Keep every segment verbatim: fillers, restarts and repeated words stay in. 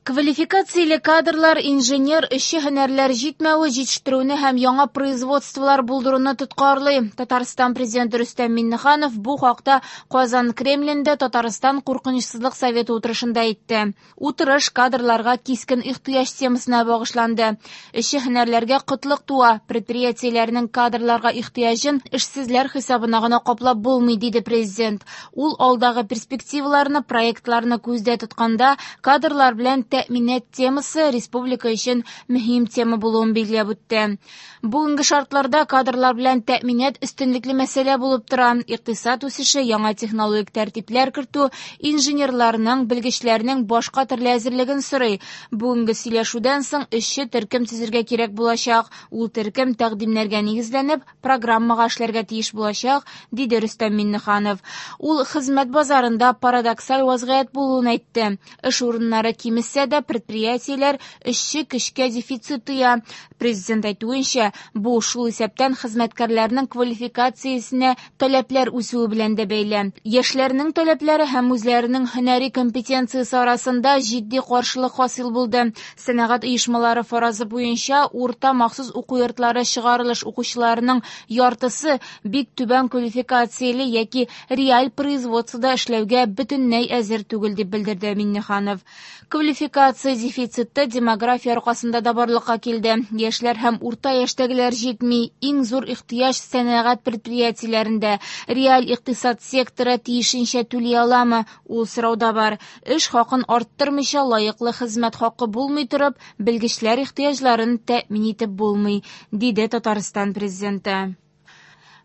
Квалификацияле кадрлар, инженер, эшче һөнәрләр җитмәве җитештерүне һәм яңа производстволар булдыруны тоткарлый. Татарстан президенты Рөстәм Миңнеханов бу хакта Казан Кремлендә Татарстан куркынычсызлык советы утырышында әйтте. Утырыш кадрларга кискен ихтыяҗ темасына багышланды. Эшче һөнәрләргә кытлык туа, предприятиеләрнең кадрларга ихтыяҗын эшсезләр хисабына гына каплап булмый, диде президент. Ул алдагы перспективаларны, проектларны күздә тотканда кадрлар белән тәэминат темасы республика өчен мөһим тема булуын билгеләп үтте. Бүгенге шартларда кадрлар белән тәэминат өстенлекле мәсьәлә булып тора. Икътисад үсеше, яңа технологик тәртипләр кертү инженерларның, белгечләрнең башка төрле әзерлеген сорый. Бүгенге сөйләшүдән соң эшче төркем төзергә кирәк булачак. Ул төркем тәкъдимнәргә нигезләнеп, программага эшләргә тиеш булачак, диде Рөстәм Миңнеханов. Ул хезмәт базарында парадоксаль вазгыять булуын әйтте. Эш урыннары кимесә дә, предприятиеләр эшче көчкә дефицит тоя. Президент әйтүенчә, бу шул исәптән хезмәткәрләрнең квалификациясенә таләпләр үсүе белән дә бәйле. Яшьләрнең таләпләре һәм үзләренең һөнәри компетенциясе арасында җитди каршылык хасил булды. Сәнәгать оешмалары фаразы буенча урта махсус уку йортлары чыгарылыш укучыларының яртысы бик түбән квалификацияле яки реаль производствода эшләүгә бөтенләй әзер түгел, дип белдерде Миңнеханов. Квалификация дефициты демография аркасында да барлыкка килде. Яшьләр һәм урта яшьтәгеләр җитми. Иң зур ихтыяҗ сәнәгать предприятиеләрендә. Реаль икътисад секторы тиешенчә түли аламы? Ул сорау да бар. Эш хакын арттырмыйча лаеклы хезмәт хакы булмый торып, белгечләр ихтыяҗларын тәэмин итеп булмый, диде Татарстан президенты.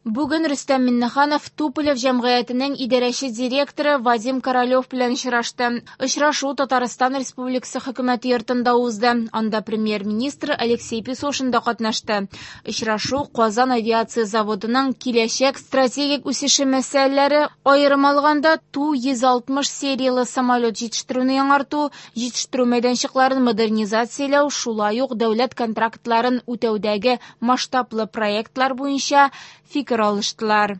Бүген Рөстәм Миңнеханов Туполев җәмгыятенең идарәче директоры Вадим Королев белән очрашты. Очрашу Татарстан Республикасы хөкүмәте йортында узды. Анда премьер-министр Алексей Песошин да катнашты. Очрашу Казан авиация заводының киләчәк стратегик үсеше мәсьәләләре, аерым алганда Ту йөз алтмыш сериялы самолет җитештерүне яңарту, җитештерү мәйданчыкларын модернизацияләү, шулай ук дәүләт контрактларын үтәүдәге масштаблы проектлар буенча фикер алыштылар.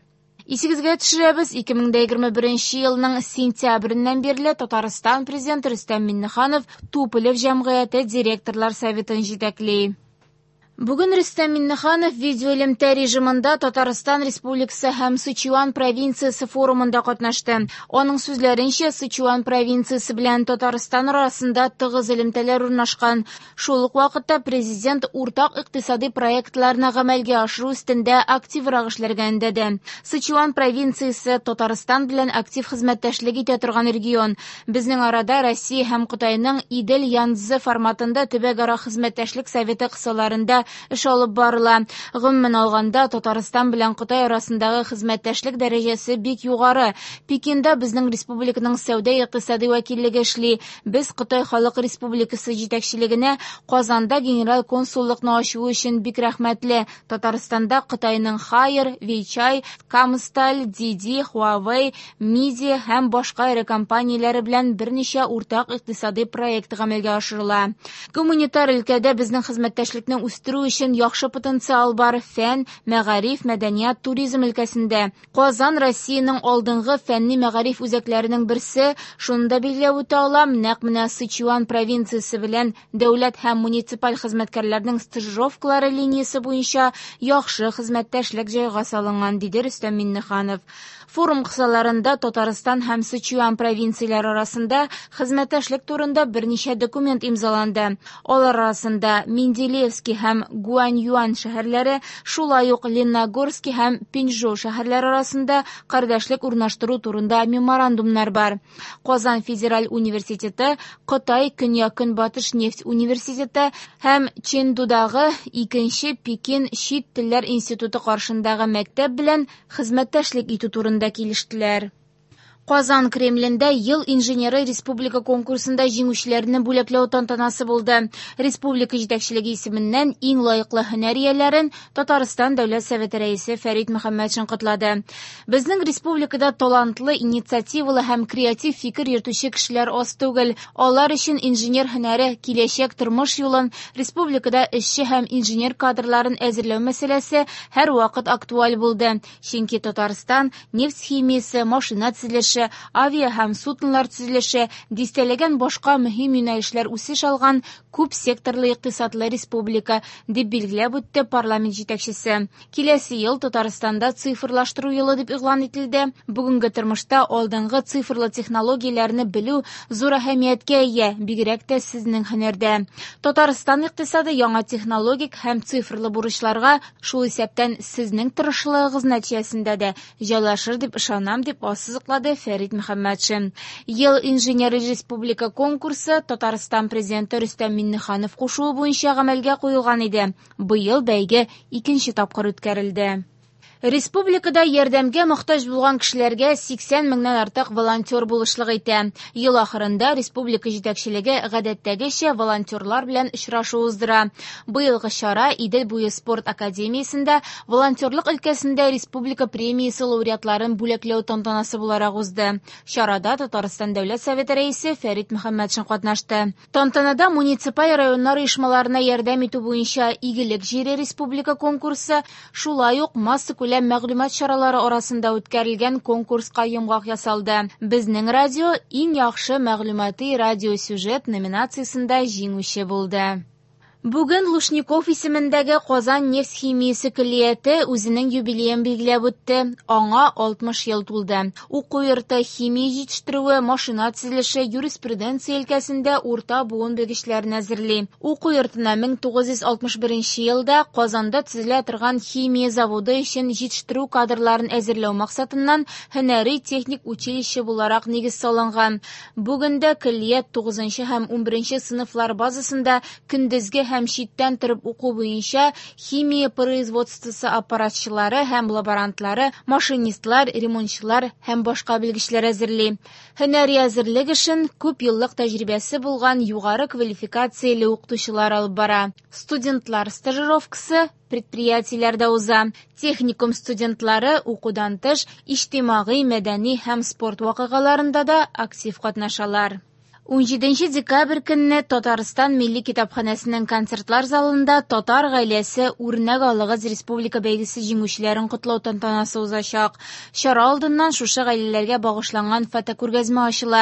Исегезгә төшерәбез, ике мең дә егерме беренче елның сентябреннән бирле Татарстан президенты Рөстәм Миңнеханов Туполев җәмгыяте директорлар советын җитәкли. Бүген Рөстәм Миңнеханов видеоэлемтә режимында Татарстан Республикасы һәм Сычуан провинциясе форумында катнашты. Аның сүзләренчә, Сычуан провинциясе белән Татарстан арасында тыгыз элемтәләр урнашкан. Шул ук вакытта президент уртак икътисади проектларны гамәлгә ашыру өстендә активрак эшләргә өндәде. Сычуан провинциясе Татарстан белән актив хезмәттәшлек итә торган регион. Безнең арада Россия һәм Кытайның Идел-Янцзы форматында төбәкара хезмәттәшлек советы кысаларында эш алып барыла. Гомумән алганда, Татарстан белән Кытай арасындагы хезмәттәшлек дәрәҗәсе бик югары. Пекинда безнең республиканың сәүдә-икътисади вәкиллеге эшли. Без Кытай Халык Республикасы җитәкчелегенә Казанда генераль консуллыкны ачу өчен бик рәхмәтле. Татарстанда Кытайның Хайер, Вейчай, Камсталь, Диди, Huawei, Миди һәм башка эре компанияләре белән берничә уртак икътисади проект гамәлгә ашырыла. Гуманитар өлкәдә безнең хезмәттәшлекне үстерү өчен яхшы потенциал бар. Фән, мәгариф, мәдәният, туризм өлкәсендә. Казан Россиянең алдынгы фәнни мәгариф үзәкләренең берсе. Шуны да билгеләп үтә алам, нәкъ менә Сычуан провинциясе белән дәүләт һәм муниципаль хезмәткәрләрнең стажировкалары линиясе буенча яхшы хезмәттәшлек җайга салынган, диде Рөстәм Миңнеханов. Форум кысаларында Татарстан һәм Сычуан провинцияләре арасында хезмәттәшлек турында берничә документ имзаланды. Алар арасында Менделеевский һәм Гуаньюань шәһәрләре, шулай ук Лениногорский һәм Пинчжоу шәһәрләре арасында кардәшлек урнаштыру турында меморандумнар бар. Казан федераль университеты, Кытай Көньяк-Көнбатыш нефть университеты һәм Чэндудагы икенче Пекин чит телләр институты каршындагы мәктәп белән хезмәттәшлек итү турында килештеләр. Казан Кремлендә Ел инженеры республика конкурсында җиңүчеләрне бүләкләү тантанасы булды. Республика җитәкчелеге исеменнән иң лаеклы һөнәр ияләрен Татарстан Дәүләт Советы рәисе Фәрит Мөхәммәтшин котлады. Безнең республикада талантлы, инициативалы һәм креатив фикер йөртүче кешеләр аз түгел. Алар өчен инженер һөнәре киләчәк тормыш юлын, республикада эшче һәм инженер кадрларын әзерләү мәсьәләсе һәрвакыт актуаль булды. Чөнки Татарстан нефть химиясе, машина төзелеше, төзелеше, авиа һәм суднолар төзелеше, дистәләгән башка мөһим юнәлешләр үсеш алган күп секторлы икътисадлы республика, дип билгеләп үтте парламент җитәкчесе. Киләсе ел Татарстанда цифрлаштыру елы дип игълан ителде. Бүгенге тормышта алдынгы цифрлы технологияләрне белү зур әһәмияткә ия, бигрәк тә сезнең һөнәрдә. Татарстан икътисады яңа технологик һәм цифрлы бурычларга, шул исәптән сезнең тырышлыгыгыз нәтиҗәсендә дә җайлашыр дип ышанам, дип ассызыклады Фәрит Мөхәммәтшин. Ел инженеры республика конкурсы Татарстан президенты Рөстәм Миңнеханов кушуы буенча гамәлгә куелган иде. Быел бәйге икенче тапкыр үткәрелде. Республикада ярдәмгә мохтаҗ булган кешеләргә сиксән меңнән артык волонтер булышлык итә. Ел ахырында республика җитәкчелеге гадәттәгечә волонтерлар белән очрашу уздыра. Быелгы чара Идел буе спорт академиясендә волонтерлык өлкәсендә республика премиясе лауреатларын бүләкләү тантанасы буларак узды. Чарада Татарстан Дәүләт Советы рәисе Фәрит Мөхәммәтшин катнашты. Тантанада муниципаль районнар оешмаларына ярдәм итү буенча Игелек җире республика конкурсы, шулай ук массакүләм мәгълүмат чаралары арасында үткәрелгән конкурска йомгак ясалды. Безнең радио иң яхшы мәгълүмати радиосюжет номинациясендә җиңүче булды. Бүген Лушников исемендәге Казан нефть химиясе көллияте үзенең юбилеен билгеләп үтте. Аңа алтмыш ел тулды. Уку йорты химия җитештерүе, машина төзелеше, юриспруденция өлкәсендә урта буын белгечләрен әзерли. Уку йортына мең тугыз йөз алтмыш беренче елда Казанда төзелә торган химия заводы өчен җитештерү кадрларын әзерләү максатыннан һөнәри техник училище буларак нигез салынган. Бүген дә көллият тугызынчы һәм унберенче сыйныфлар базасында көндезге һәм читтән торып уку буенча химия производствосы аппаратчылары һәм лаборантлары, машинистлар, ремонтчылар һәм башка белгечләр әзерли. Һөнәри әзерлек эшен күп еллык тәҗрибәсе булган югары квалификацияле укытучылар алып бара. Студентлар стажировкасы предприятиеләрдә уза. Техникум студентлары укудан тыш иҗтимагый, мәдәни һәм спорт вакыйгаларында да актив катнашалар. Унҗиденче декабрь көнне Татарстан Милли китапханәсенең концертлар залында Татар гаиләсе үрнәк алыгыз республика бәйгесе җиңүчеләрен котлау тантанасы узачак. Чара алдыннан шушы гаиләләргә багышланган фотокүргәзмә ачыла.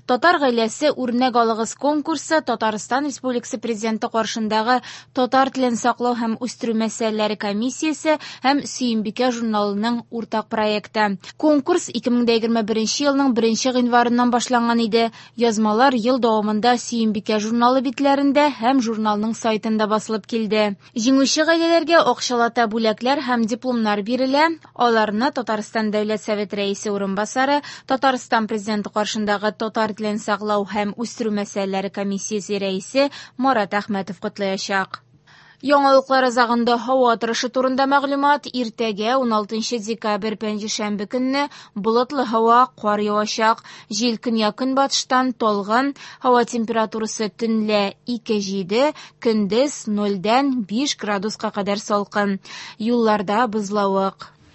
Татар гаиләсе үрнәк алыгыз конкурсы Татарстан Республикасы Президенты каршындагы татар телен саклау һәм үстерү мәсьәләләре комиссиясе һәм Сөембикә журналының уртак проекты. Конкурс ике мең егерме беренче елның беренче гыйнварыннан башланган иде. Язмалар ел дәвамында Сөембикә журналы битләрендә һәм журналның сайтында басылып килде. Җиңүче гаиләләргә акчалата бүләкләр һәм дипломнар бирелә. Аларны Татарстан Дәүләт Советы рәисе урынбасары, Татарстан Президенты каршындагы татар телен саклау һәм үстерү мәсьәләләре комиссиясе рәисе Марат Әхмәтов котлаячак. Яңалыклар азагында һава торышы турында мәгълүмат. Иртәгә уналтынчы декабрь пәнҗешәмбе көнне болытлы һава, кар явачак. Җил көньяк-көнбатыштан талгын, һава температурасы төнлә ике җиде, көндез нольдән биш градуска кадәр салкын. Юлларда бозлавык.